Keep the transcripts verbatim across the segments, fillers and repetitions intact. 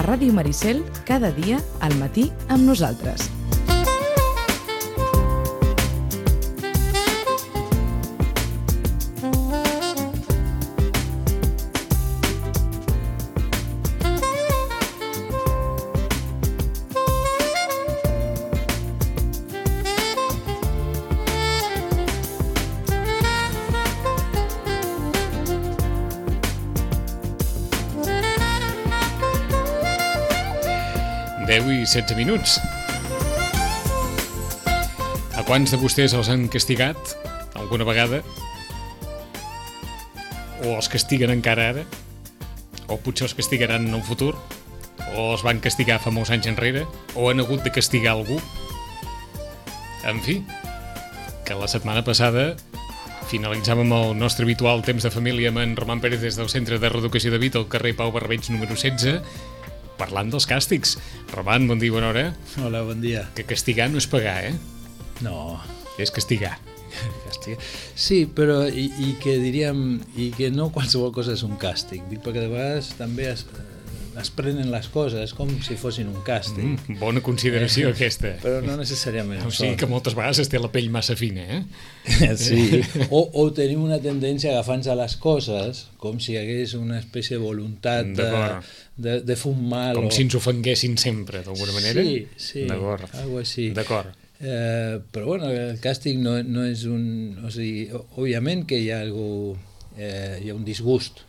Ràdio Maricel, cada dia al matí amb nosaltres. deu i setze minuts. A quants de vostès els han castigat alguna vegada? O els castiguen encara ara? O potser els castigaran en el futur? O els van castigar fa molts anys enrere? O han hagut de castigar algú? En fi, que la setmana passada finalitzàvem el nostre habitual temps de família amb en Roman Pérez des del Centre de Reeducació de Vita al carrer Pau Barbeig número setze, parlant dels càstigs. Roman, bon dia, bona hora. Hola, bon dia. Que castigar no és pagar, eh? No. És castigar. Castigar. Sí, però i, i que diríem i que no qualsevol cosa és un càstig. Dic perquè de vegades també es, es prenen les coses com si fossin un càstig. Mm, bona consideració eh, aquesta. Però no necessàriament. O sigui que moltes vegades es té la pell massa fina, eh? Sí. O, o tenim una tendència a agafar-nos a les coses com si hi hagués una espècie de voluntat de, de, de fer un mal. Com o... si ens ofenguessin sempre, d'alguna manera? Sí, sí. D'acord. Algo així. D'acord. Eh, però bueno, el càstig no, no és un... O sigui, òbviament que hi ha algú, eh, hi ha un disgust.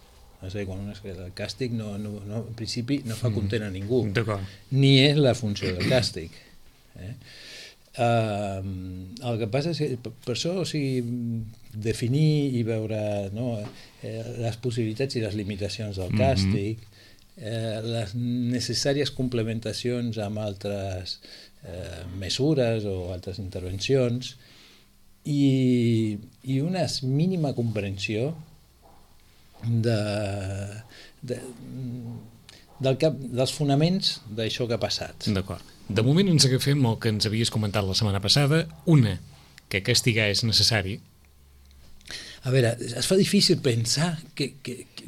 O sigui, quan es, el càstig no, no, no, en principi no fa content a ningú. D'acord. Ni és la funció del càstig. Eh? Uh, el que passa és que per això, o sigui, definir i veure, no, eh, les possibilitats i les limitacions del càstig, eh, les necessàries complementacions amb altres eh, mesures o altres intervencions i, i una mínima comprensió de, de, del cap, dels fonaments d'això que ha passat. D'acord. De moment ens agafem el que ens havies comentat la setmana passada, una, que castigar és necessari. A veure, es fa difícil pensar que, que, que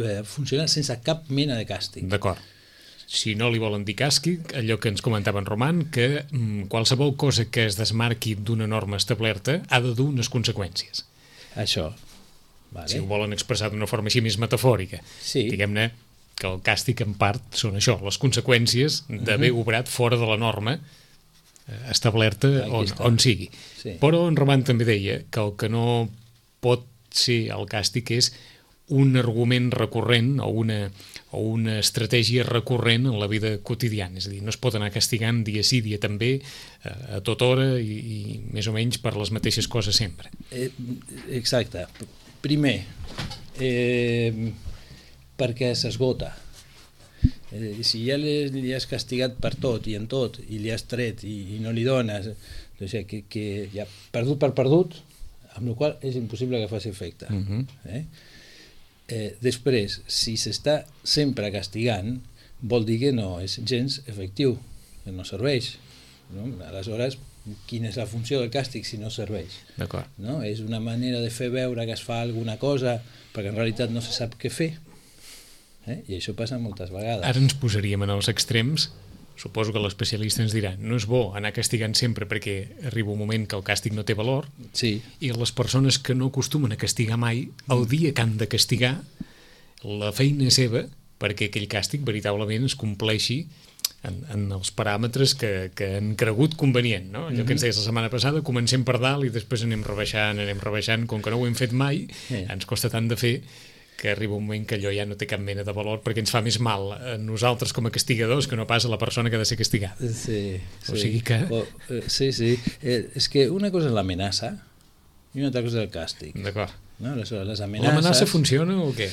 eh, funciona sense cap mena de càstig. D'acord. Si no li volen dir càstig, allò que ens comentava en Roman, que mm, qualsevol cosa que es desmarqui d'una norma establerta ha de dur unes conseqüències. Això. Vale. Si ho volen expressar d'una forma així més metafòrica. Sí. Diguem-ne que el càstig en part són això, les conseqüències d'haver uh-huh. obrat fora de la norma establerta on, on sigui. Sí. Però en Roman també deia que el que no pot ser el càstig és un argument recurrent o una, o una estratègia recurrent en la vida quotidiana. És a dir, no es pot anar castigant dia sí, dia també, a tota hora i, i més o menys per les mateixes coses sempre. Eh, exacte. Primer, eh, perquè s'esgota. Eh, si ja li, li has castigat per tot i en tot, i li has tret i, i no li dones, doncs que, que ja perdut per perdut, amb la qual és impossible que faci efecte. Uh-huh. eh? Eh, després, si s'està sempre castigant, vol dir que no és gens efectiu, que no serveix. No? Aleshores, quina és la funció del càstig si no serveix? D'acord. No? És una manera de fer veure que es fa alguna cosa perquè en realitat no se sap què fer. Eh? I això passa moltes vegades. Ara ens posaríem en els extrems. Suposo que l'especialista ens dirà no és bo anar castigant sempre perquè arriba un moment que el càstig no té valor. Sí. I les persones que no acostumen a castigar mai, el dia que han de castigar, la feina és seva perquè aquell càstig veritablement es compleixi en, en els paràmetres que, que han cregut convenient, no? Allò que ens deies la setmana passada, comencem per dalt i després anem rebaixant, anem rebaixant, com que no ho hem fet mai, eh. ens costa tant de fer que arriba un moment que allò ja no té cap mena de valor perquè ens fa més mal a nosaltres com a castigadors que no pas a la persona que ha de ser castigada. Sí, o sí. sigui que... O, eh, sí, sí. Eh, és que una cosa és l'amenaça i una altra cosa és el càstig. D'acord. No? Les, les amenaces... L'amenaça funciona o què?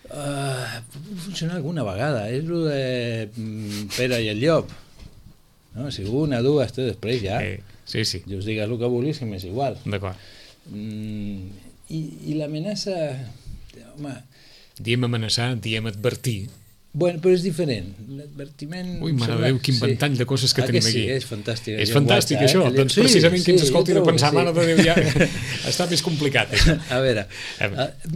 Uh, pot funcionar alguna vegada. És el de mm, Pere i el llop. No? Si una, dues, tres, després ja... Eh, sí, sí. I us digues el que vulguis, que m'és igual. D'acord. Mm, I i l'amenaça... Home, Diem amenaçar, diem advertir. Bueno, però és diferent. L'advertiment... Ui, mare de Déu, quin sí. ventall de coses que ah, tenim que sí, aquí. És fantàstic. És fantàstic, això. Eh? Doncs sí, precisament qui ens sí, escolti de pensar, sí. mare de Déu, ja està més complicat. Això. A veure,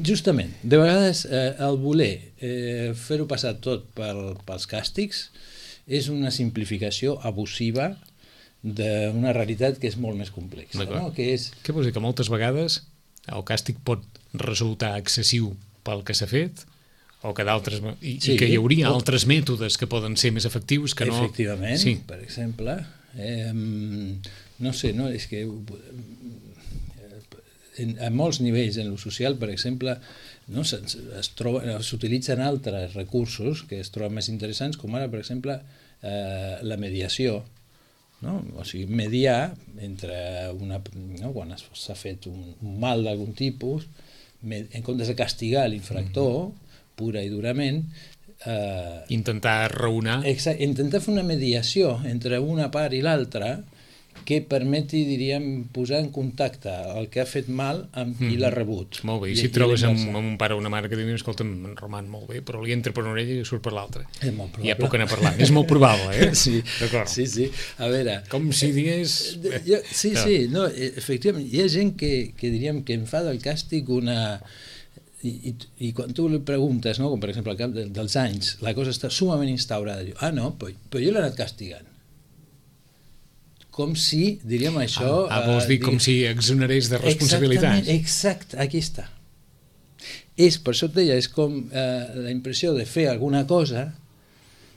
justament, de vegades eh, el voler eh, fer-ho passar tot pel, pels càstigs és una simplificació abusiva d'una realitat que és molt més complexa. No? Que és... Què vols dir? Que moltes vegades el càstig pot resultar excessiu pel que s'ha fet o que d'altres... I, sí, i que hi hauria pot... altres mètodes que poden ser més efectius que no... Efectivament, sí. Per exemple, eh, no sé, no, és que en, a molts nivells en lo social, per exemple, no, s'utilitzen altres recursos que es troben més interessants, com ara, per exemple, eh, la mediació, no? O sigui, mediar entre una, no? Quan s'ha fet un, un mal d'algun tipus, en comptes de castigar l'infractor, mm-hmm. pura i durament, eh, intentar raonar, exacte, intentar fer una mediació entre una part i l'altra que permeti, diríem, posar en contacte el que ha fet mal amb qui mm. l'ha rebut. Molt bé, i si et trobes amb, amb un pare o una mare que diu, escolta'm, en Roman, molt bé, però li entra per una orella i surt per l'altra. És molt probable. Ja puc anar parlant. És molt probable, eh? Sí, d'acord. Sí, sí. A veure... Com si digués... Jo, sí, sí, no, efectivament, hi ha gent que, que diríem que en fa del càstig una... I, i, i quan tu li preguntes, no, com per exemple al cap de, dels anys, la cosa està sumament instaurada, diu, ah no, però, però jo l'he anat castigant. Com si, diríem això... Ah, ah vols dir com si exonerés de responsabilitats. Exactament, exacte, aquí està. És, per això et deia, és com eh, la impressió de fer alguna cosa,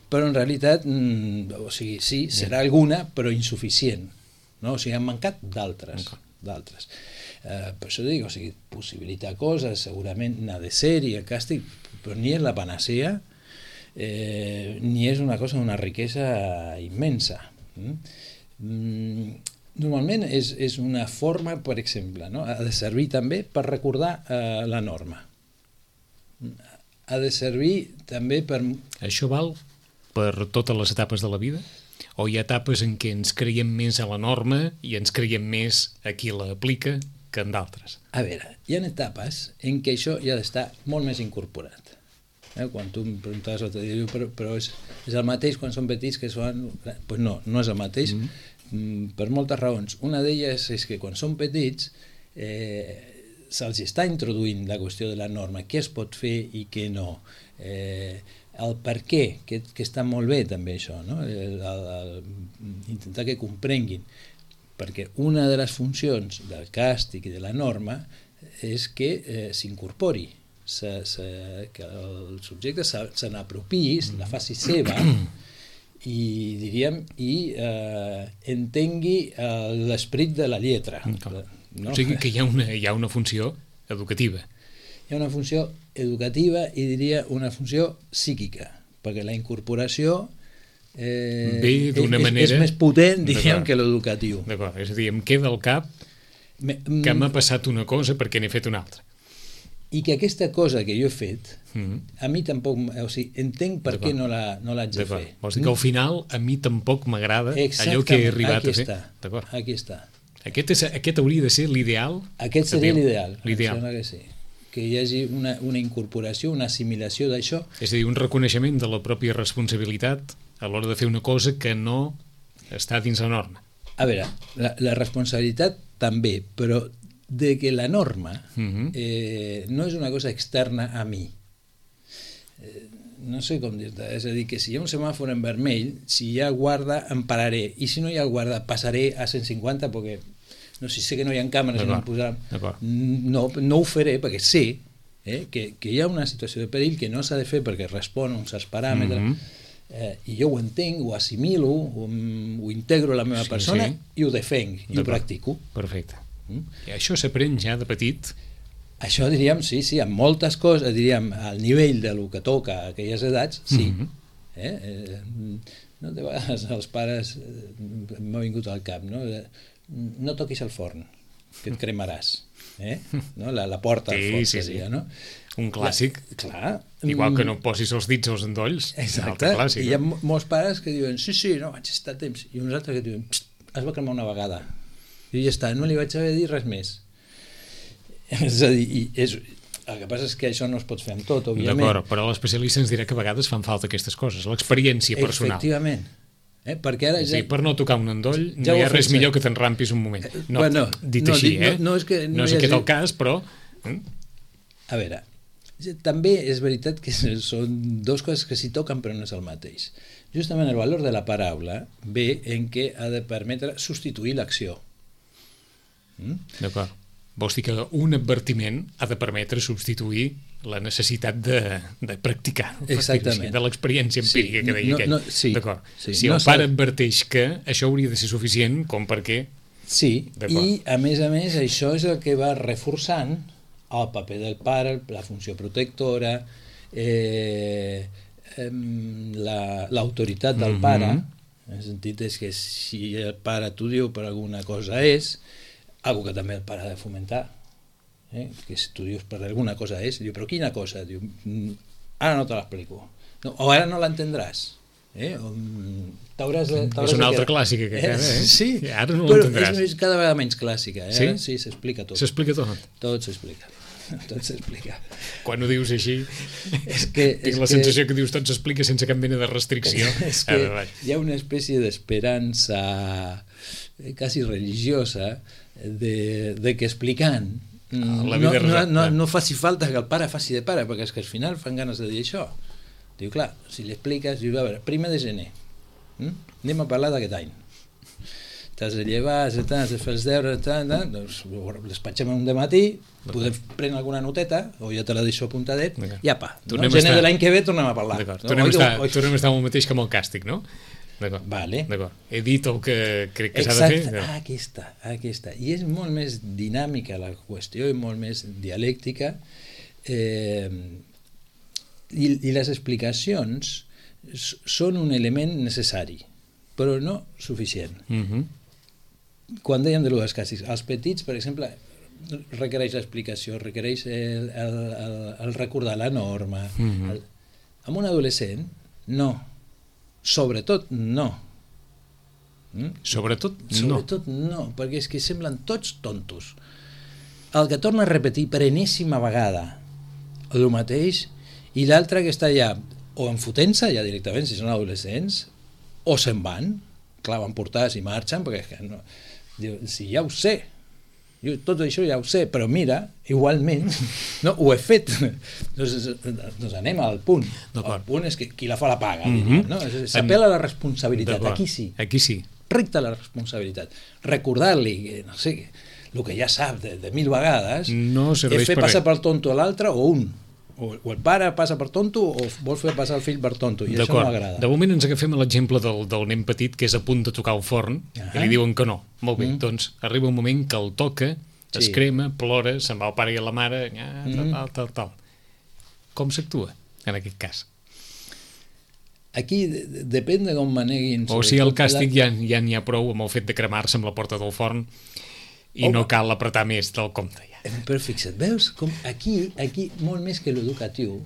però en realitat, mm, o sigui, sí, serà alguna, però insuficient. No? O sigui, han mancat d'altres. d'altres. Eh, per això dic, o sigui, possibilitar coses, segurament n'ha de ser, i el càstig, però ni és la panacea, eh, ni és una cosa d'una riquesa immensa. Mm? Normalment és, és una forma, per exemple, no? Ha de servir també per recordar eh, la norma. Ha de servir també per... Això val per totes les etapes de la vida? O hi ha etapes en què ens creiem més a la norma i ens creiem més a qui l'aplica que en d'altres? A veure, hi ha etapes en què això ja ha d'estar molt més incorporat. Eh? Quan tu em preguntaves l'altre dia, però, però és, és el mateix quan són petits que són... Pues no, no és el mateix, mm. per moltes raons. Una d'elles és que quan són petits eh, se'ls està introduint la qüestió de la norma, què es pot fer i què no. Eh, el per què, que, que està molt bé també això, no? el, el, el, intentar que comprenguin, perquè una de les funcions del càstig i de la norma és que eh, s'incorpori, Se, se, que el subjecte se, se n'apropiï, mm. la faci seva i diríem i eh, entengui eh, l'esperit de la lletra. No? O sigui que hi ha, una, hi ha una funció educativa. Hi ha una funció educativa i diria una funció psíquica, perquè la incorporació eh, ve d'una és, manera... és més potent, diríem, que l'educatiu. D'acord, és a dir, em queda al cap Me, que m'ha passat una cosa perquè n'he fet una altra. I que aquesta cosa que jo he fet, mm-hmm. a mi tampoc, o sigui, entenc per què no la, no l'haig de fer. Vols dir que al final a mi tampoc m'agrada allò que he arribat aquí a fer? Està, aquí està. Aquest, és, aquest hauria de ser l'ideal? Aquest seria l'ideal, l'ideal. Que sí. Que hi hagi una, una incorporació, una assimilació d'això. És a dir, un reconeixement de la pròpia responsabilitat a l'hora de fer una cosa que no està dins la norma. A veure, la, la responsabilitat també, però de que la norma uh-huh. eh, no és una cosa externa a mi. Eh, no sé com dir-te, és a dir, que si hi ha un semàfor en vermell, si hi ha guarda em pararé, i si no hi ha guarda passaré a cent cinquanta perquè no sé, sé que no hi ha càmeres no posar, no, no ho faré perquè sé eh, que, que hi ha una situació de perill que no s'ha de fer perquè respon a uns certs paràmetres uh-huh. eh, i jo ho entenc, ho assimilo, ho, ho integro a la meva sí, persona sí. i ho defenc, i ho practico. Perfecte. Mm? I això s'aprèn ja de petit? Això diríem, sí, sí, amb moltes coses, diríem, al nivell de lo que toca a aquelles edats, sí. Mm-hmm. eh? Eh, no, de vegades els pares eh, m'ha vingut al cap, no? No toquis el forn, que et cremaràs. Eh? No? La, la porta al sí, forn, sí, seria, sí. no? Un clàssic. La, clar. Igual que no posis els dits als endolls. Exacte. Clàssic, I hi ha no? molts pares que diuen, sí, sí, no, vaig estar temps. I uns altres que diuen, es va cremar una vegada. I ja està, no li vaig haver de dir res més. És a dir, i és, El que passa és que això no es pot fer amb tot, òbviament. D'acord, però l'especialista ens dirà que a vegades fan falta aquestes coses, l'experiència personal. Efectivament. Eh? Perquè ara ja... Sí, per no tocar un endoll ja no hi ha res fet, millor que t'enrampis un moment. No, bueno, dit no, així, dit, eh? No, no és, que no no és hagi... aquest el cas, però... Eh? A veure, també és veritat que són dues coses que s'hi toquen però no és el mateix. Justament el valor de la paraula ve en què ha de permetre substituir l'acció. Mm? D'acord. Vols dir que un advertiment ha de permetre substituir la necessitat de, de practicar, exactament, de l'experiència empírica, sí, que deia no, aquell. no, sí, d'acord. Sí, si no el pare adverteix que això hauria de ser suficient com perquè... Sí, i a més a més això és el que va reforçant el paper del pare, la funció protectora, eh, l'autoritat la, del pare, mm-hmm. en el sentit és que si el pare t'ho diu per alguna cosa és, algo que també el pare ha de fomentar, eh? Que si tu dius per alguna cosa és, diu, però quina cosa? Diu, ara no te l'explico, no, o ara no l'entendràs. Eh? T'hauràs de, és una altra clàssica que queda, eh? Sí, ara no però l'entendràs. És cada vegada menys clàssica, eh? Sí? Sí, s'explica tot. S'explica tot? Tot s'explica. Tot s'explica. Quan ho dius així, és que, tinc és la que, sensació que dius tot s'explica sense cap mena de restricció. És que veure, hi ha una espècie d'esperança quasi religiosa de, de que explicant no, no, no, no faci falta que el pare faci de pare, perquè és que al final fan ganes de dir això. Diu, clar, si li expliques, diu, a veure, primer de gener, hm? anem a parlar d'aquest any. T'has de llevar, has de fer els deures, doncs despatxem un dematí, podem prendre alguna noteta, o ja te la deixo apuntadet, i apa, no? Gener estar... de l'any que ve tornem a parlar. No? Tornem, oi, estar, oi, tornem a estar amb el mateix que amb el càstig, no? D'acord. Vale. He dit el que crec que s'ha de fer. Exacte, aquí està, aquí està. I és molt més dinàmica la qüestió i molt més dialèctica, eh, i, i les explicacions són un element necessari, però no suficient. Uh-huh. Quan dèiem de l'ús dels càstigs, els petits, per exemple, requereix l'explicació, requereix el, el, el, el recordar la norma. Uh-huh. el, amb un adolescent, no. Sobretot no. Mm? Sobretot no. Sobretot no, perquè és que semblen tots tontos. El que torna a repetir per enèsima vegada el mateix, i l'altre que està ja o enfotent-se ja directament, si són adolescents, o se'n van, clar, van portar i marxen, perquè és que no, diu, si ja ho sé, jo tot això ja ho sé, però mira, igualment, no, ho he fet. doncs, doncs anem al punt. El punt és que qui la fa la paga, mm-hmm. diríem, no? S'apela a la responsabilitat, aquí sí. Aquí sí. Recta la responsabilitat. Recordar-li, no sé, el que ja sap de, de mil vegades, no serveix és fer per passar res. per tonto a l'altre o un. O, o el pare passa per tonto o vol fer passar el fill per tonto, i això no m'agrada. De moment ens agafem l'exemple del, del nen petit que és a punt de tocar el forn, uh-huh. i li diuen que no. Molt bé, mm. doncs arriba un moment que el toca, sí. es crema, plora, se'n va el pare i la mare, ah, tal, tal, tal, tal. Com s'actua en aquest cas? Aquí depèn de com maneguin. O sigui, el càstig ja ja n'hi ha prou amb el fet de cremar-se amb la porta del forn i oh, no cal apretar més del compte ja. Però fixa't, veus com aquí, aquí molt més que l'educatiu,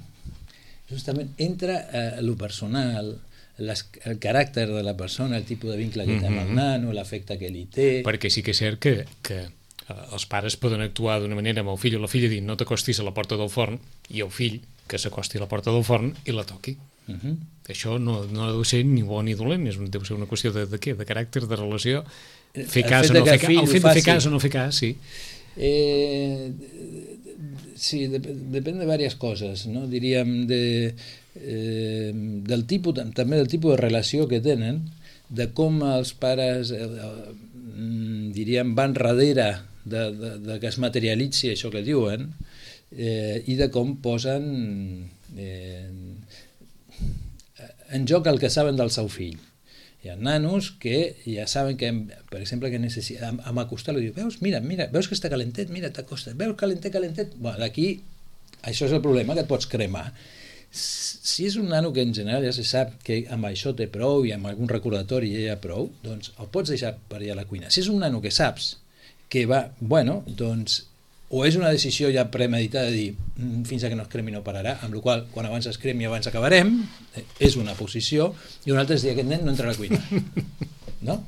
justament entra eh, lo personal, les, el caràcter de la persona, el tipus de vincle que té amb el nano, l'afecte que li té... Perquè sí que és cert que, que els pares poden actuar d'una manera amb el fill o la filla dient no t'acostis a la porta del forn, i el fill que s'acosti a la porta del forn i la toqui. Uh -huh. Això no, no deu ser ni bo ni dolent, és, deu ser una qüestió de, de què? De caràcter, de relació, fer cas o no fer cas, el fet de fer cas o no fer cas, sí. Eh, sí, de, depèn de diverses coses, no? Diríem de, eh, del tipus, també del tipus de relació que tenen, de com els pares eh, diríem van darrere de, de, de que es materialitzi això que diuen, eh, i de com posen eh, en joc el que saben del seu fill. Hi ha nanos que ja saben que, per exemple, que necessita, amb acostar-lo, diu, veus, mira, mira, veus que està calentet, mira, t'acostes, veus, calentet, calentet, bueno, d'aquí, això és el problema, que et pots cremar. Si és un nano que en general ja se sap que amb això té prou i amb algun recordatori ja hi ha prou, doncs el pots deixar per allà a la cuina. Si és un nano que saps que va, bueno, doncs o és una decisió ja premeditada de dir fins a que no es cremi no pararà, amb la qual quan abans es cremi abans acabarem, és una posició, i una altra és dir aquest nen no entra a la cuina, no?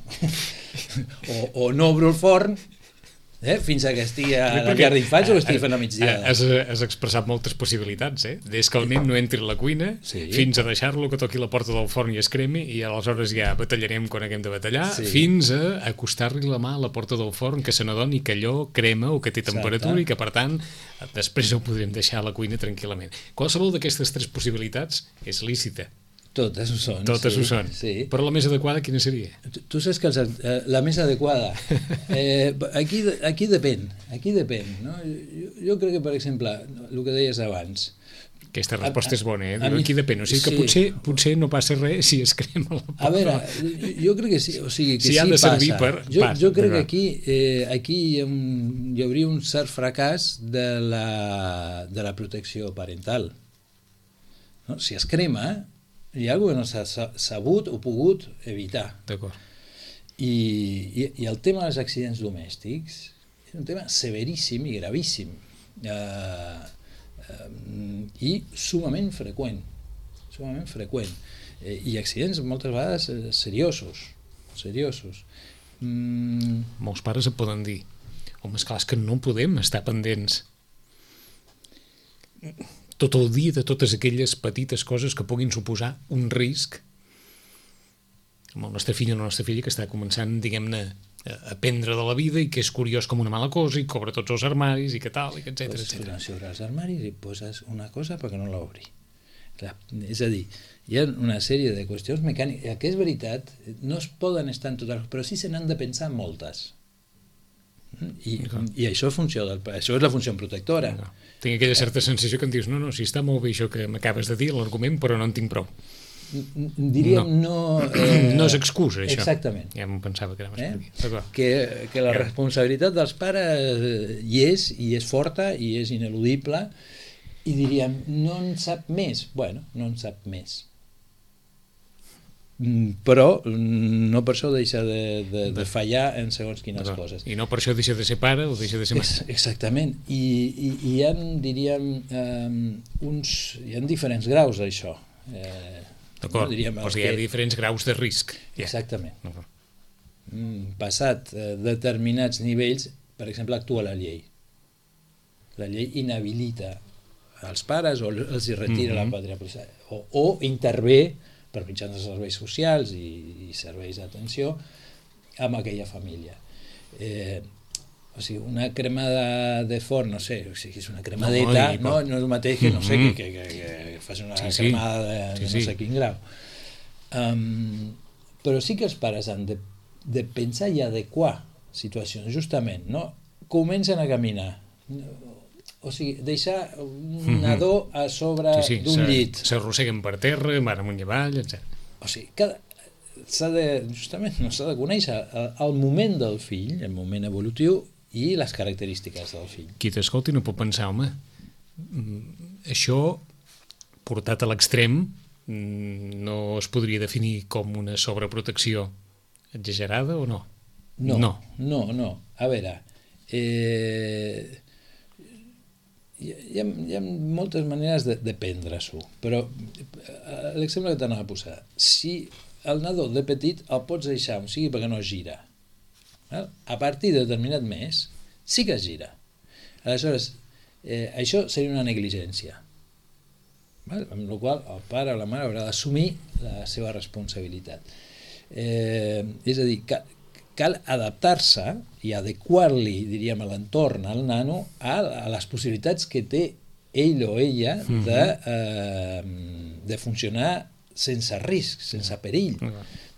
o, o no obro el forn Eh? Fins que estigui a la Perquè llar d'infants o estigui fent a migdiada. Has, has expressat moltes possibilitats, eh? Des que el nen no entri a la cuina, Sí. fins a deixar-lo que toqui la porta del forn i es cremi, i aleshores ja batallarem quan haguem de batallar, Sí. fins a acostar-li la mà a la porta del forn, que se n'adoni que allò crema o que té temperatura. Exacte. I que, per tant, després ho podrem deixar a la cuina tranquil·lament. Qualsevol d'aquestes tres possibilitats és lícita. Totes ho són. Totes sí, ho són. Sí. Però la més adequada quina seria? Tu, tu saps que els, eh, la més adequada, eh, aquí, aquí depèn, aquí depèn. No? Jo, jo crec que, per exemple, el que deies abans, Aquesta resposta A- és bona, eh? a Diu, mi- aquí depèn. O sigui que sí. potser, potser no passa res si es crema la porta. a veure, jo crec que sí, o sigui, que Si sí ha de passa. servir per- Jo, passa, jo crec que d'acord. aquí, eh, aquí hi, ha un, hi hauria un cert fracàs de la, de la protecció parental. No? Si es crema, hi ha alguna cosa que no s'ha sa- sabut o pogut evitar. D'acord. I, i, i el tema dels accidents domèstics és un tema severíssim i gravíssim, eh, eh, i sumament freqüent, sumament freqüent, eh, i accidents moltes vegades eh, seriosos, seriosos. Mm, Molts pares et poden dir, home, esclar, és que no podem estar pendents tot el dia de totes aquelles petites coses que puguin suposar un risc amb el nostre fill o la nostra filla que està començant, diguem-ne, a aprendre de la vida i que és curiós com una mala cosa i cobra tots els armaris i que tal, i que etcètera, poses etcètera. sobre els armaris i poses una cosa perquè no l'obri. Clar, és a dir, hi ha una sèrie de qüestions mecàniques que és veritat, no es poden estar en totes, però sí se n'han de pensar moltes. I, i això, és funció del, això és la funció protectora. No. Tinc aquella certa sensació que em dius, no, no, si està molt bé això que m'acabes de dir, l'argument, però no en tinc prou. Diríem no... eh, No és excusa, això. Exactament. Ja em pensava que anaves Eh? per aquí. D'acord. Que, que la responsabilitat dels pares eh, hi és, i és forta, i és ineludible, i diríem, no en sap més. Bueno, no en sap més. Mm, Però mm, no per això deixa de, de, de fallar en segons quines D'acord. coses. I no per això deixa de ser pare o deixa de ser mare. Ex exactament. I, i, i hi ha, diríem, um, uns, hi ha diferents graus d'això. Eh, D'acord, no, diríem, el doncs hi ha que- diferents graus de risc. Ja. Exactament. D'acord. Mm, passat eh, determinats nivells, per exemple, actua la llei. La llei inhabilita als pares o els hi retira Mhm. la pàtria potestat, o, o intervé per mitjans de serveis socials i, i serveis d'atenció amb aquella família. Eh, o sigui, una cremada de forn, no sé, o sigui, és una cremadeta, No, i- no, no és el mateix que, no sé, Mhm. que, que, que, que fas una Sí, sí. cremada de, de Sí, no sí. sé quin grau. Um, però sí que els pares han de, de pensar i adequar situacions, justament, no? Comencen a caminar, o sigui, deixar un nadó a sobre Sí, sí, d'un se- llit. s'arrosseguen per terra, van amunt i avall, etcètera. O sigui, cada, s'ha de, justament, no s'ha de conèixer el, el moment del fill, el moment evolutiu i les característiques del fill. Qui t'escolti no pot pensar, home, mm, això portat a l'extrem mm, no es podria definir com una sobreprotecció exagerada o no? No, No. no, no. A veure, eh, hi, hi, ha, hi ha moltes maneres de, de prendre-s'ho, però eh, l'exemple que t'anava a posar, si el nadó de petit el pots deixar, o sigui, perquè no es gira, val? A partir de determinat mes sí que es gira. Aleshores, eh, això seria una negligència, val? Amb la qual el pare o la mare haurà d'assumir la seva responsabilitat. Eh, és a dir, cal, cal adaptar-se i adequar-li, diríem, a l'entorn, al nano, a, a les possibilitats que té ell o ella de, eh, de funcionar sense risc, sense perill.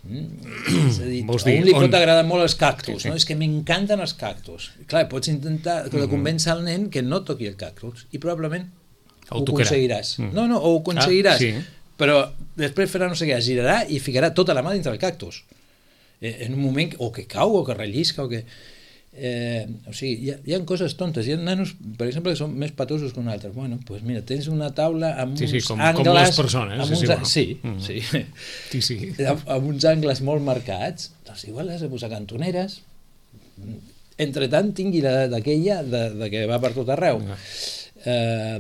Mm? És a dir, Vols a dir, un li on- pot agradar molt els cactus, Sí, sí. no? És que m'encanten els cactus. Clar, pots intentar que convèncer al nen que no toqui el cactus i probablement El ho tocarà. aconseguiràs. Mm. No, no, ho aconseguiràs. Ah, sí. Però després farà no sé què, es girarà i ficarà tota la mà dintre del cactus. Eh, en un moment, que- o que cau, o que rellisca, o que... Eh, o sigui, hi ha, hi ha coses tontes. Hi ha nanos, per exemple, que són més patosos que un altre. Bueno, doncs pues mira, tens una taula amb Sí, sí, uns com- angles... com les persones, amb és uns, igual. sí, Mm. sí. Sí, sí. amb, amb uns angles molt marcats, doncs igual has de posar cantoneres. Entre tant, tingui l'edat d'aquella de, de que va per tot arreu. Ah. Eh,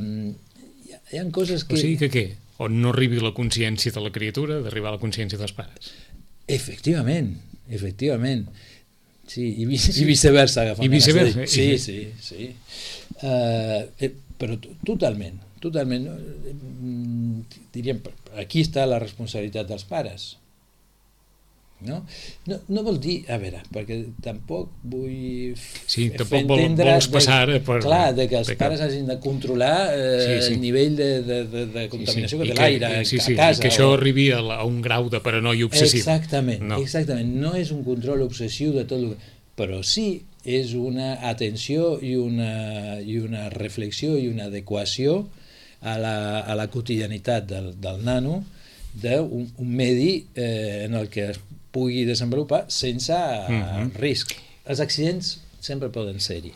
hi, ha, hi ha coses que... O sigui que què? On no arribi la consciència de la criatura, d'arribar a la consciència dels pares. Efectivament, efectivament. Sí, i, vi sí. i viceversa. I viceversa. Sí, sí, sí. Uh, eh, però totalment, totalment. Diríem, aquí està la responsabilitat dels pares. No? No, no vol dir, a veure, perquè tampoc vull sí, tampoc vol, vols passar de, per... clar, de que els de pares que... hagin de controlar eh, sí, sí. el nivell de, de, de, de contaminació sí, sí. que té l'aire sí, sí, a casa. I que això o... arribi a, la, a un grau de paranoia obsessiva. Exactament, no. exactament. No és un control obsessiu de tot el que... però sí és una atenció i una, i una reflexió i una adequació a la, a la quotidianitat del, del nano d'un un medi eh, en el que es pugui desenvolupar sense mm-hmm. risc. Els accidents sempre poden ser-hi.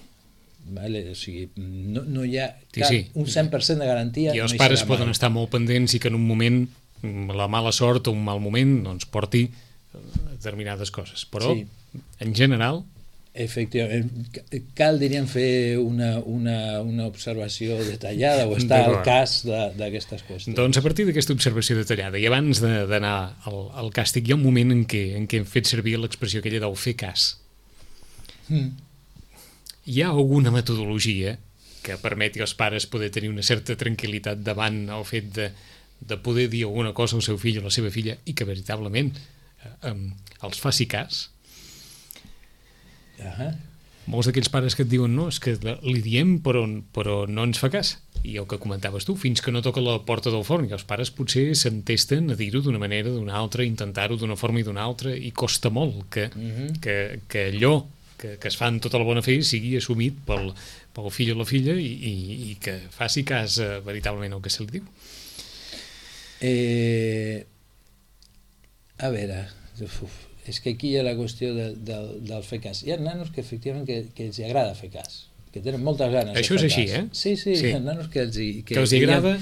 Vale? O sigui, no, no hi ha cap, sí, sí. un cent per cent de garantia. I els no pares poden estar molt pendents i que en un moment la mala sort o un mal moment doncs, porti determinades coses. Però, sí. en general... Efectivament, cal, diríem, fer una, una, una observació detallada o estar al cas d'aquestes qüestions. Doncs a partir d'aquesta observació detallada i abans d'anar al, al càstig hi ha un moment en què, en què hem fet servir l'expressió aquella del fer cas. Mm. Hi ha alguna metodologia que permeti als pares poder tenir una certa tranquil·litat davant el fet de, de poder dir alguna cosa al seu fill o a la seva filla i que veritablement eh, els faci cas? Uh-huh. Molts d'aquells pares que et diuen no, és que li diem però, però no ens fa cas, i el que comentaves tu, fins que no toca la porta del forn, i els pares potser s'entesten a dir-ho d'una manera, d'una altra, intentar-ho d'una forma i d'una altra, i costa molt que, uh-huh. que, que allò que, que es fa amb tota la bona fe sigui assumit pel, pel fill o la filla i, i, i que faci cas eh, veritablement el que se li diu. Eh, a veure, uf, és que aquí hi ha la qüestió del, del, del fer cas. Hi ha nanos que efectivament que, que els agrada fer cas, que tenen moltes ganes això de fer és així, cas. Eh? Sí, sí, sí, hi ha nanos que els, que, que els agrada...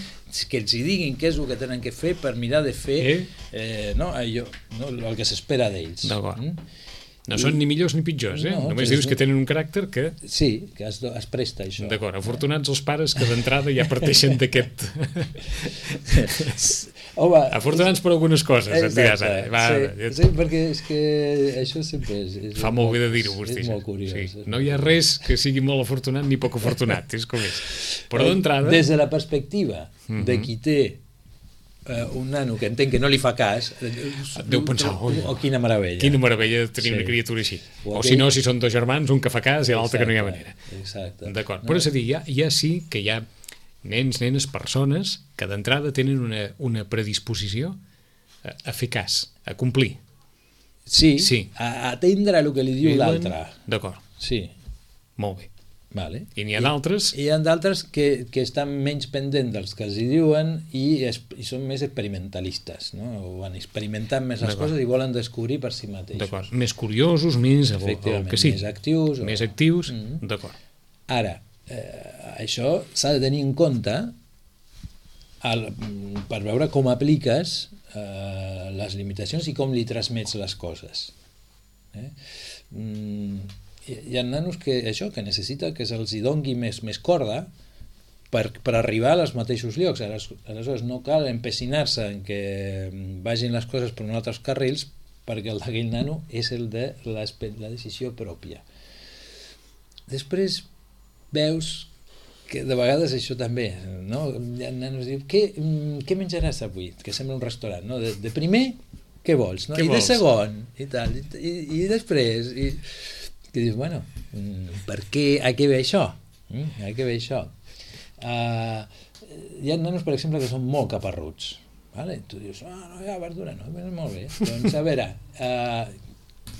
que els hi diguin què és el que tenen que fer per mirar de fer eh? Eh, no, allò, no, el que s'espera d'ells. D'acord. Mm? No són ni millors ni pitjors, eh? No, només dius que tenen un caràcter que... Sí, que es, es presta això. D'acord, afortunats els pares que d'entrada ja parteixen d'aquest... Home, afortunats per algunes coses, et diràs ara. Va, sí, ja... sí, perquè és que això sempre és... és Fa molt bé de dir-ho, vostè. És molt curiós. Sí. No hi ha res que sigui molt afortunat ni poc afortunat, és com és. Però d'entrada... Des de la perspectiva uh-huh. de qui té Uh, un nano que entenc que no li fa cas deu pensar, oh, oh, quina meravella quina meravella tenir sí. una criatura així o, o si no, si són dos germans, un que fa cas i l'altre que no hi ha manera. D'acord, no. Però és a dir, ja, ja sí que hi ha nens, nenes, persones que d'entrada tenen una, una predisposició a, a fer cas, a complir. Sí, sí. a atendre el que li diu l'altre. D'acord. Sí. Molt bé. Vale. I n'hi ha d'altres? Hi ha d'altres que, que estan menys pendents dels que els hi diuen i, es, i són més experimentalistes, no? O van experimentant més les coses i volen descobrir per si mateixos. D'acord, més curiosos, més... Efectivament, que sí. més actius. Més o... actius, mm-hmm. d'acord. Ara, eh, això s'ha de tenir en compte el, per veure com apliques eh, les limitacions i com li transmets les coses. Eh? Mm, hi ha nanos que això que necessita que se'ls hi dongui més, més corda per, per arribar als mateixos llocs. Aleshores no cal empecinar-se en que vagin les coses per uns altres carrils perquè el d'aquell nano és el de la decisió pròpia. Després veus que de vegades això també, no? Hi ha nanos que diuen, què, què menjaràs avui? Que sembla un restaurant, no? De, de primer, què vols? No? Què I vols? de segon, i tal, i, i, i després... I... que dius, bueno, per què, a què ve això? A què ve això? Uh, hi ha nanos, per exemple, que són molt caparruts. Vale? Tu dius, ah, no hi ha verdura, no? Molt bé. Doncs, a veure, uh,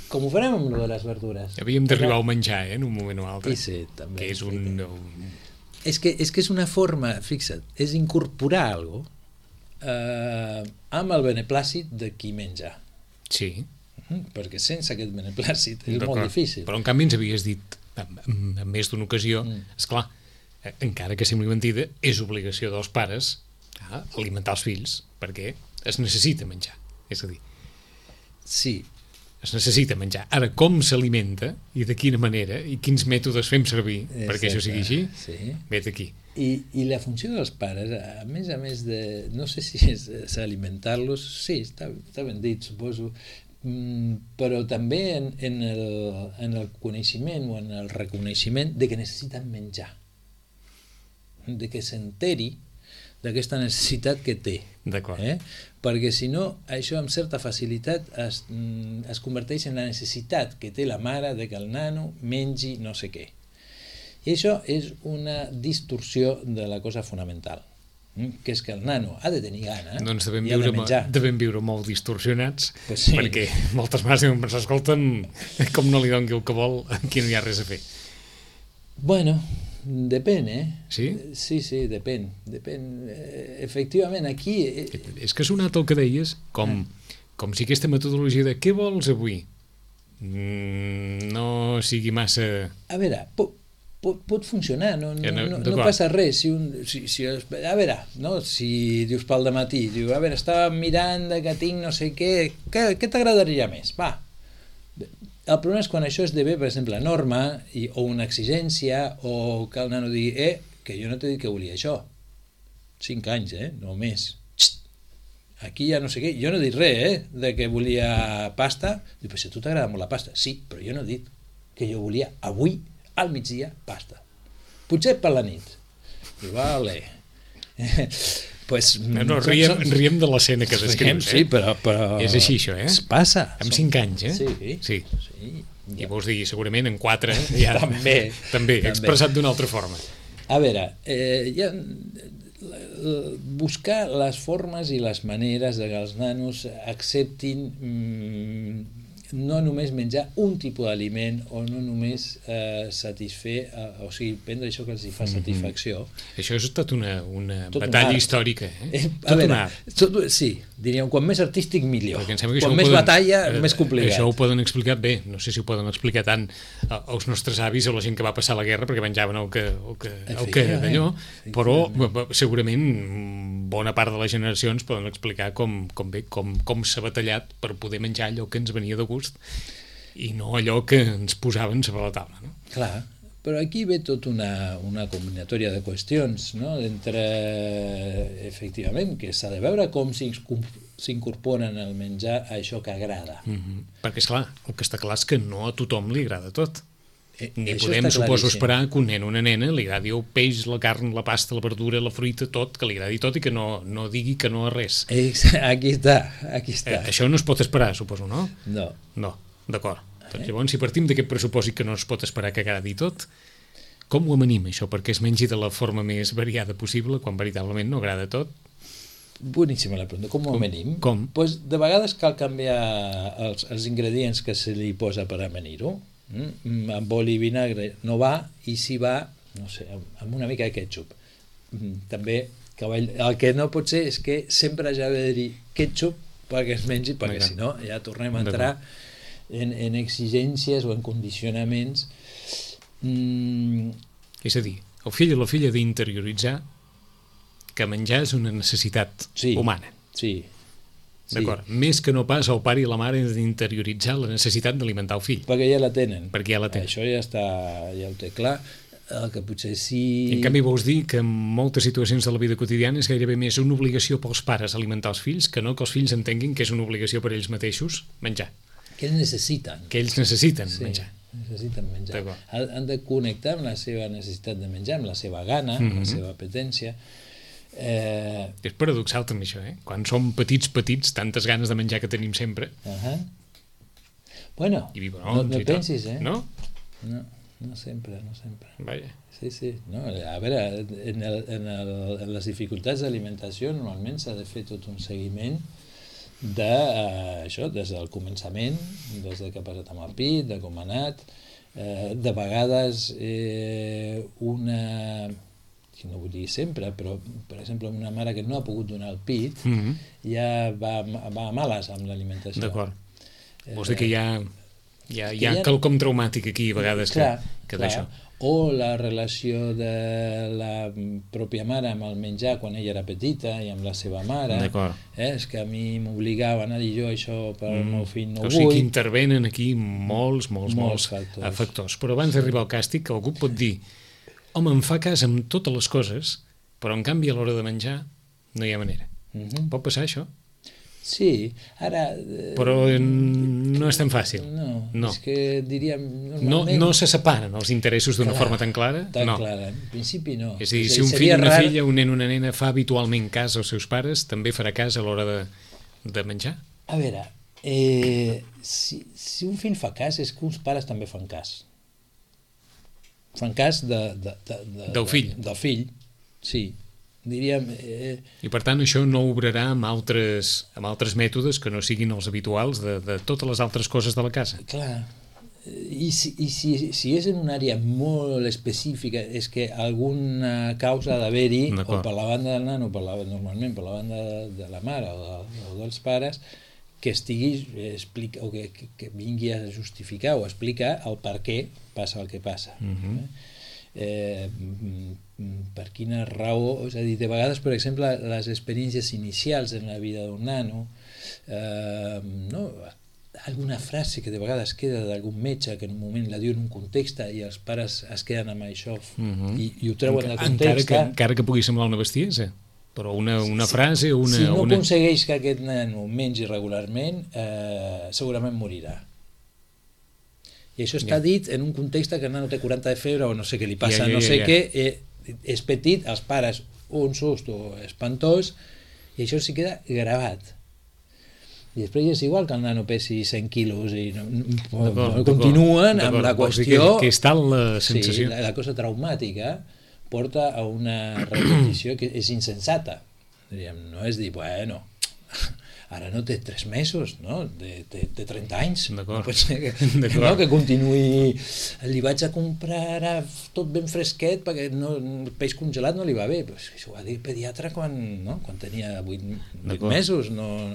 com ho farem amb lo de les verdures? Havíem d'arribar al menjar, eh, en un moment o altre. I sí, també. Que és un... un... És que, és que és una forma, fixa't, és incorporar alguna cosa uh, amb el beneplàcit de qui menja. Sí. Perquè sense aquest beneplàcit és molt difícil. Però en canvi ens havies dit en més d'una ocasió, mm. esclar, encara que sembli mentida, és obligació dels pares a alimentar els fills perquè es necessita menjar, és a dir, sí, es necessita menjar. Ara, com s'alimenta i de quina manera i quins mètodes fem servir Exacte. Perquè això sigui així, sí. vet aquí. I, i la funció dels pares, a més a més de, no sé si és, és alimentar-los, sí, està, està ben dit, suposo, però també en, en, el, en el coneixement o en el reconeixement de que necessiten menjar, de que s'enteri d'aquesta necessitat que té. D'acord. Eh? Perquè si no, això amb certa facilitat es, es converteix en la necessitat que té la mare de que el nano mengi no sé què. I això és una distorsió de la cosa fonamental, que és que el nano ha de tenir gana doncs devem i ha de viure, menjar. devem viure molt distorsionats, Pues sí. perquè moltes mares deuen pensar, escolta'm, com no li doni el que vol, aquí no hi ha res a fer. Bueno, depèn, eh? Sí? Sí, sí, depèn. depèn. Eh, efectivament, aquí... Eh... És que ha sonat el que deies com, com si aquesta metodologia de què vols avui mm, no sigui massa... A veure, pot, pot, pot funcionar, no, no, no, no, no passa res. Si un, si, si, a veure, no? Si dius pel dematí, diu, a veure, estava mirant que tinc no sé què, què, què t'agradaria més? Va. El problema és quan això esdevé, per exemple, norma i, o una exigència, o que el nano digui, eh, que jo no t'he dit que volia això. Cinc anys, eh? No més. Xxt. Aquí ja no sé què. Jo no he dit res, eh? De que volia pasta. Diu, però si a tu t'agrada molt la pasta. Sí, però jo no he dit que jo volia avui, al migdia, pasta. Potser per la nit. Diu, vale. Pues, no, no, riem, som, som... riem de l'escena que descrius, eh? Sí, però, però... És així, això, eh? Es passa. Amb cinc anys, eh? Sí. Sí. sí ja. I vols dir, segurament, en quatre... Ja... també. També, expressat d'una altra forma. A veure, eh, ja, buscar les formes i les maneres de que els nanos acceptin mm, no només menjar un tipus d'aliment o no només eh, satisfer, eh, o sigui, prendre això que els hi fa satisfacció. Mm-hmm. Això és tot una, una tot batalla una històrica, eh? eh tot veure, un art. Tot, sí, diríem, quan més artístic millor. Quan més poden, batalla, eh, més complicat. Això ho poden explicar bé, no sé si ho poden explicar tant als nostres avis o la gent que va passar la guerra perquè menjaven el que, el que, el que d'allò, però segurament bona part de les generacions poden explicar com, com, bé, com, com s'ha batallat per poder menjar allò que ens venia de gust i no allò que ens posaven sobre la taula, no? Clar, però aquí ve tot una, una combinatòria de qüestions, no? Entre, efectivament, que s'ha de veure com s'incorporen al menjar a això que agrada. Mm-hmm. Perquè, esclar, el que està clar és que no a tothom li agrada tot. Eh, Ni podem, suposo, esperar que un nen o una nena li agradi el peix, la carn, la pasta, la verdura, la fruita, tot, que li agradi tot i que no, no digui que no a res. Aquí està, aquí està. Eh, això no es pot esperar, suposo, no? No. No, d'acord. Doncs llavors, si partim d'aquest pressupòsit que no es pot esperar que agradi tot, com ho amanim, això, perquè es mengi de la forma més variada possible, quan veritablement no agrada tot? Boníssima la pregunta. Com ho amanim? Com? Pues, de vegades cal canviar els, els ingredients que se li posa per amanir-ho. Mm? Amb oli i vinagre no va, i si va, no sé, amb una mica de ketchup. Mm, també, cavall, el que no pot ser és que sempre hagi d'haver-hi ketchup perquè es mengi, perquè si no ja tornem a entrar en, en exigències o en condicionaments. Mm. És a dir, el fill o la filla d'interioritzar que menjar és una necessitat sí, humana. Sí, d'acord, sí. Més que no pas el pare i la mare d'interioritzar la necessitat d'alimentar el fill. Perquè ja la tenen. Perquè ja la tenen. Això ja està, ja ho té clar. El que potser sí... I en canvi vols dir que en moltes situacions de la vida quotidiana és gairebé més una obligació pels pares alimentar els fills que no que els fills entenguin que és una obligació per ells mateixos menjar. Que ells necessiten. Que ells necessiten sí, menjar. necessiten menjar. Han de connectar amb la seva necessitat de menjar, amb la seva gana, amb mm-hmm. la seva apetència. Eh... És paradoxal també això, eh? Quan som petits, petits, tantes ganes de menjar que tenim sempre. Uh-huh. Bueno, I no, no pensis, eh? No? No, no sempre, no sempre. Vaja. Sí, sí. No, a veure, en, el, en, el, en les dificultats d'alimentació normalment s'ha de fer tot un seguiment de eh, això, des del començament, des de què ha passat amb el pit, de com ha anat, eh, de vegades eh, una... no vull dir sempre, però per exemple una mare que no ha pogut donar el pit mm-hmm. ja va, va a males amb l'alimentació. D'acord. Vols dir que hi ha, hi ha, hi ha quelcom traumàtic aquí a vegades clar, que, que d'això. O la relació de la pròpia mare amb el menjar quan ella era petita i amb la seva mare. Eh? És que a mi m'obligaven a dir jo això per al mm. meu fill no ho vull. O sigui que intervenen aquí molts, molts, molts, molts factors. factors. Però abans d'arribar al càstig, algú pot dir home, em fa cas amb totes les coses, però en canvi a l'hora de menjar no hi ha manera. Mm-hmm. Pot passar això? Sí, ara... Però no és tan fàcil. No, no. és que diríem... No, no se separen els interessos d'una forma tan clara? Tan no. clara, en principi no. És a dir, si un fill o una rar... filla, un nen o una nena fa habitualment cas als seus pares, també farà cas a l'hora de, de menjar? A veure, eh, si, si un fill fa cas, és que uns pares també fan cas. Fan cas de, de, de, de, del fill? De, del fill, sí. Diríem... Eh... I per tant això no obrarà amb altres, amb altres mètodes que no siguin els habituals de, de totes les altres coses de la casa. Clar, i, si, i si, si és en una àrea molt específica, és que alguna causa ha d'haver-hi, o per la banda del nano, per la, normalment per la banda de, de la mare o, de, o dels pares, que estigui explica, o que, que, que vingui a justificar o a explicar el per què passa el que passa. Uh-huh. eh? Eh, per quina raó, és a dir, de vegades, per exemple, les experiències inicials en la vida d'un nano, eh, no? Alguna frase que de vegades queda d'algun metge que en un moment la diu en un context i els pares es queden amb això uh-huh. i, i ho treuen del context. Encara que, encara que pugui semblar una bestiesa, però una, una sí, frase o una... Si no una... aconsegueix que aquest nano mengi regularment, eh, segurament morirà. I això està dit en un context que el nano té quaranta de febre o no sé què li passa, ja, ja, ja, no sé ja. què, eh, és petit, els pares un susto espantós i això s'hi queda gravat. I després és igual que el nano pesi cent quilos i no, no, no, continuen amb la qüestió... Que, que és tal la sensació. Sí, la, la cosa traumàtica porta a una repetició que és insensata. Diríem, no és dir, bueno... Ara no té tres mesos, no? Té, té, té trenta anys. No pot ser que, no, que continuï... Li vaig a comprar ara tot ben fresquet perquè no, el peix congelat no li va bé. Pues això ho va dir el pediatre quan, no? Quan tenia vuit mesos. No?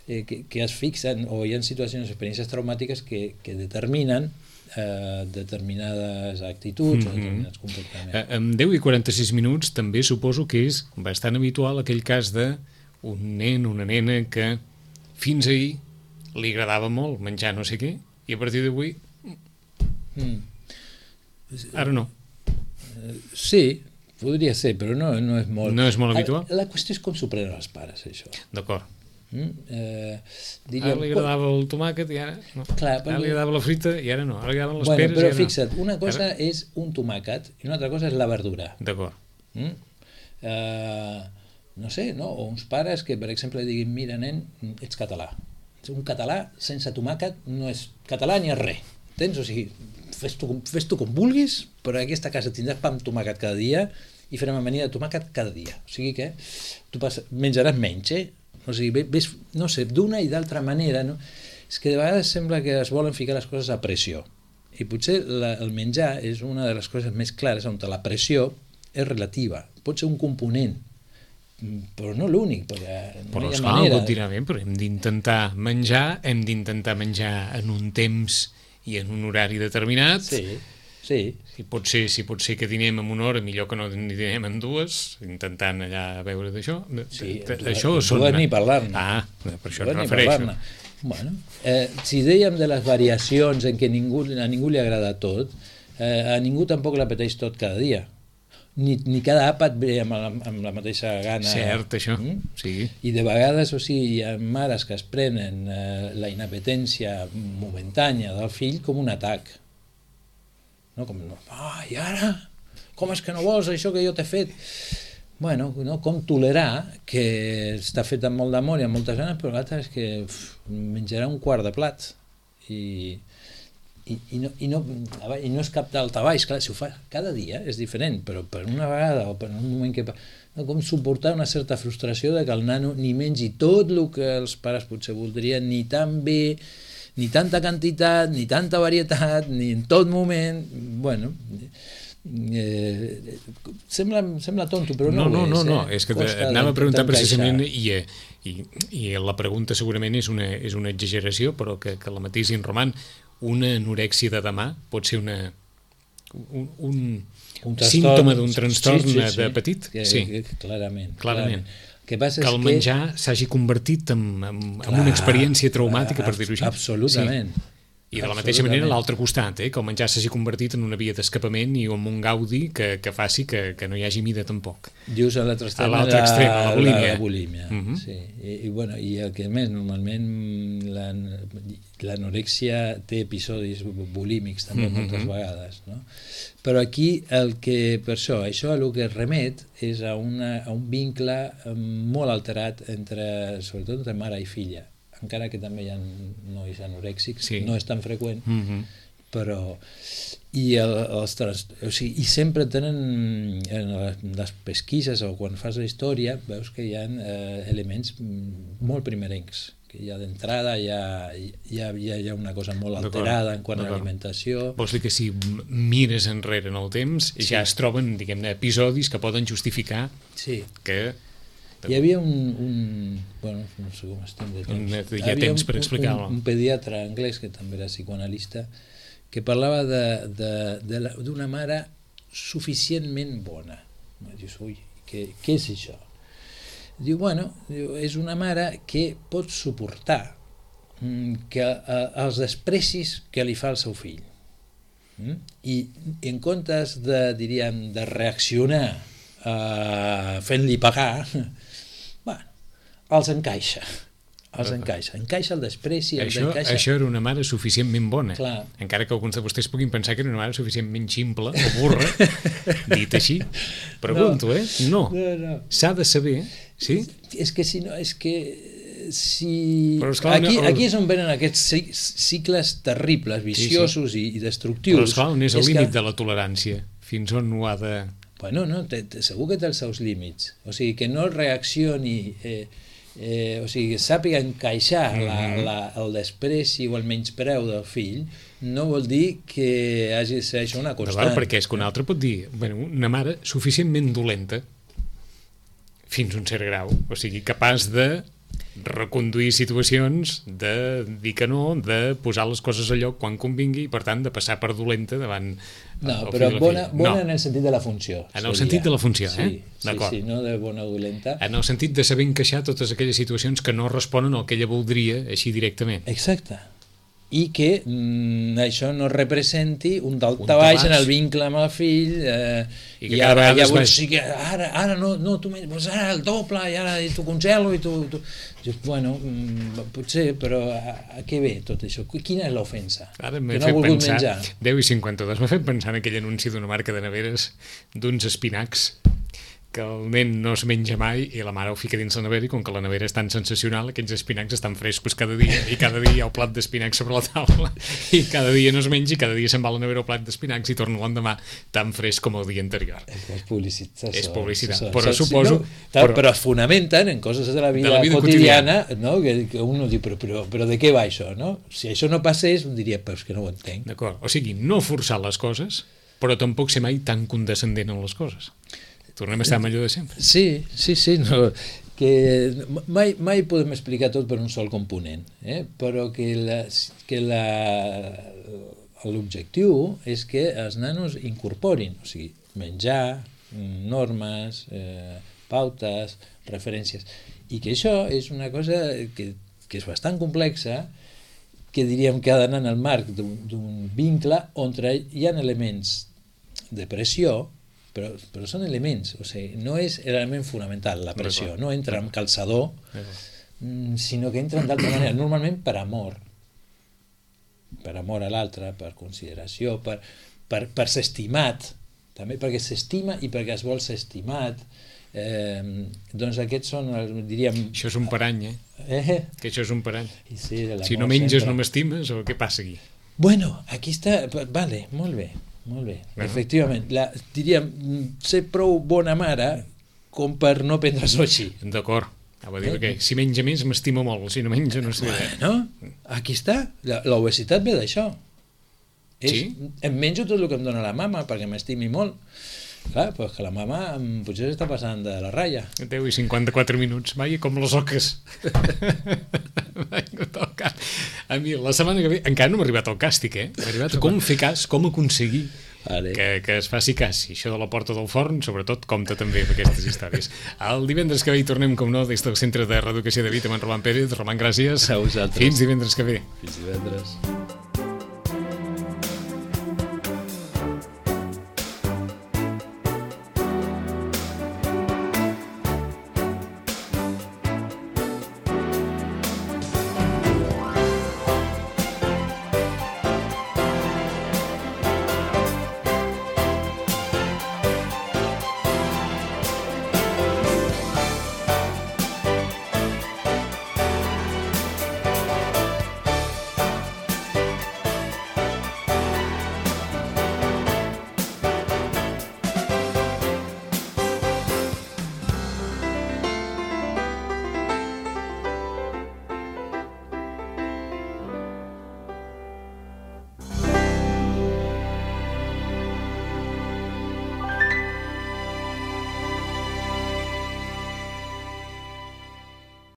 Eh, que, que es fixen, o hi ha situacions, experiències traumàtiques que, que determinen eh, determinades actituds mm-hmm. o determinats comportaments. En deu i quaranta-sis minuts també suposo que és bastant habitual aquell cas de un nen, una nena que fins ahir li agradava molt menjar no sé què i a partir d'avui mm. ara no. Sí, podria ser, però no, no és molt... No és molt habitual? La, la qüestió és com s'ho prenen els pares, això. D'acord. Mm? Eh, diríem, ara li agradava el tomàquet i ara no. Clar, ara perquè... li agradava la frita i ara no. Ara li agradaven les bueno, peres però i ara fixa't, no. Una cosa ara... és un tomàquet i una altra cosa és la verdura. D'acord. Mm? Eh, no sé, no? O uns pares que, per exemple, diguin, mira, nen, ets català. Un català sense tomàquet no és català ni és res. Tens? O sigui, fes tu, fes tu com vulguis, però en aquesta casa tindràs pa amb tomàquet cada dia i farem amanida de tomàquet cada dia. O sigui que tu pas, menjaràs menys, eh? O sigui, ves, no sé, d'una i d'altra manera, no? És que de vegades sembla que es volen ficar les coses a pressió. I potser la, el menjar és una de les coses més clares on la pressió és relativa. Pot ser un component, però no l'únic, perquè no però hi ha esclar, manera. Continuament, però hem d'intentar menjar, hem d'intentar menjar en un temps i en un horari determinat. Sí, sí. Si pot ser, si pot ser que dinem en una hora, millor que no dinem en dues, intentant allà veure d'això. Sí, això són... ni parlar-ne. Ah, per això em refereixo. Bueno, eh, si dèiem de les variacions en què ningú, a ningú li agrada tot, eh, a ningú tampoc l'apeteix tot cada dia. Ni, ni cada àpat ve amb la, amb la mateixa gana. Cert, això, mm? Sí. I de vegades, o sigui, hi ha mares que es prenen eh, la inapetència momentània del fill com un atac. No? Com, ah, i ara? Com és que no vols això que jo t'he fet? Bueno, no? Com tolerar que està fet amb molt d'amor i amb moltes ganes, però l'altre és que uf, menjarà un quart de plat. I... I, i, no, i, no, i no és cap daltabaix, clar, si ho fa cada dia és diferent, però per una vegada o per un moment que... No, com suportar una certa frustració de que el nano ni mengi tot el que els pares potser voldrien, ni tan bé, ni tanta quantitat, ni tanta varietat, ni en tot moment... Bueno... Eh, sembla, sembla tonto, però no, no ho és. No, no, no, eh? és que anava a preguntar precisament i, i, i la pregunta segurament és una, és una exageració, però que, que la matissin Roman. Una anorèxia de demà pot ser una, un, un, un símptoma d'un trastorn sí, sí, sí. de petit? Que, sí, que, clarament. clarament. Que, passa que el que... menjar s'hagi convertit en, en, en una experiència traumàtica, per dir-ho així. Absolutament. Sí. I de la mateixa manera l'altre costat, eh, que el menjar s'hagi convertit en una via d'escapament i en un gaudi que, que faci que, que no hi hagi mida tampoc. Dius a l'altre extrem, a l'altre extrem, a la bulímia. La, la bulímia, uh -huh. sí. I, i, bueno, I el que més, normalment l'anorèxia té episodis bulímics també uh -huh. moltes vegades, no? Però aquí el que, per això, això el que remet és a, una, a un vincle molt alterat entre, sobretot entre mare i filla, encara que també hi ha nois anorèxics, sí. No és tan freqüent, uh -huh. però i, el, els trans, o sigui, i sempre tenen en les pesquises o quan fas la història veus que hi ha eh, elements molt primerencs, que ja d'entrada hi ha, hi, ha, hi ha una cosa molt alterada en quant a l'alimentació. Vols dir que si mires enrere en el temps sí. ja es troben, diguem-ne, episodis que poden justificar sí. que hi havia un, un bueno, no sé com estem de temps, hi ha temps per explicar-ho. Un, un pediatre anglès que també era psicoanalista que parlava d'una mare suficientment bona. Dius, ui, què, què és això? Diu, bueno, diu, és una mare que pot suportar que, eh, els desprecis que li fa el seu fill. Mm? I en comptes de, diríem, de reaccionar eh, fent-li pagar, bueno, els encaixa. Els encaixa. Encaixa el despreci. Els això, encaixa... això era una mare suficientment bona. Clar. Encara que alguns de vostès puguin pensar que era una mare suficientment ximple o burra, dit així. Pregunto, no. eh? No. no, no. S'ha de saber... Sí? És, és que si no... És que si... Esclar, aquí, no, aquí és on venen aquests cicles terribles, viciosos sí, sí. I, i destructius. Però esclar, on és el és límit que... de la tolerància? Fins on ho ha de... Bueno, no, te, te, segur que té els seus límits. O sigui, que no reaccioni... Eh, Eh, o sigui, sàpiga encaixar mm -hmm. la, la, el despreci o el menyspreu del fill no vol dir que hagi de ser això una constant. D'acord, perquè és que un altre pot dir bueno, una mare suficientment dolenta fins a un cert grau, o sigui, capaç de reconduir situacions, de dir que no, de posar les coses a lloc quan convingui i per tant de passar per dolenta davant no, però bona, bona no. en el sentit de la funció en el seria. sentit de la funció, sí, eh? Sí, sí, no de bona o dolenta en el sentit de saber encaixar totes aquelles situacions que no responen al que ella voldria així directament. Exacte. I que mm, això no representi un daltabaix en el vincle amb el fill eh, i, i ara ja vols, sí que ara, ara no, no tu pues ara el doble i ara t'ho congelo i tu, tu... bueno, mm, potser, però a, a què ve tot això? Quina és l'ofensa? Ara m'he no fet pensar, menjar? deu i cinquanta-dos, m'ha fet pensar en aquell anunci d'una marca de neveres d'uns espinacs que el nen no es menja mai i la mare ho fica dins la nevera i com que la nevera és tan sensacional aquells espinacs estan frescos cada dia i cada dia hi ha el plat d'espinacs sobre la taula i cada dia no es menja i cada dia se'n va a la nevera el plat d'espinacs i torna l'endemà tan fresc com el dia anterior. És publicitat. És publicitat, però suposo... No, però, però es fonamenten en coses de la vida, de la vida quotidiana, quotidiana. No? Que, que un diu, però, però, però de què va això? No? Si això no passés, un diria, però és que no ho entenc. D'acord, o sigui, no forçar les coses, però tampoc ser mai tan condescendent en les coses. Tornem a estar amb allò de sempre. Sí, sí, sí. No, que mai, mai podem explicar tot per un sol component, eh? Però que la, que la, l'objectiu és que els nanos incorporin, o sigui, menjar, normes, eh, pautes, referències, i que això és una cosa que, que és bastant complexa, que diríem que ha d'anar en el marc d'un vincle on hi ha elements de pressió, Però, però són elements, o sigui, no és l'element fonamental, la pressió, no entra amb calçador, sinó que entra d'altra manera, normalment per amor, per amor a l'altre, per consideració, per, per, per ser estimat, també perquè s'estima i perquè es vol ser estimat, eh, doncs aquests són, diríem... Això és un parany, eh? eh? Que això és un parany. Sí, si no menges sempre. No m'estimes, o què passa aquí? Bueno, aquí està, vale, molt bé. Molt bé, uh-huh. Efectivament. La, diríem, ser prou bona mare com per no prendre-s'ho així. D'acord. Va dir, eh? Que si menja més m'estimo molt, si no menja no sé. Bueno, aquí està. L'obesitat ve d'això. És, sí? Em menjo tot el que em dona la mama perquè m'estimi molt. Clar, doncs que la mama potser està passant de la ratlla. deu i cinquanta-quatre minuts. Vaja, com les oques. A mi, la setmana que ve, encara no m'ha arribat el càstig, eh? M'ha arribat a com fer cas, com aconseguir vale. que, que es faci cas. I això de la porta del forn, sobretot, compta també amb aquestes històries. El divendres que ve hi tornem, com no, des del Centre de Reeducació de Vida amb en Roman Pérez. Roman, gràcies. A vosaltres. Fins divendres que ve. Fins divendres.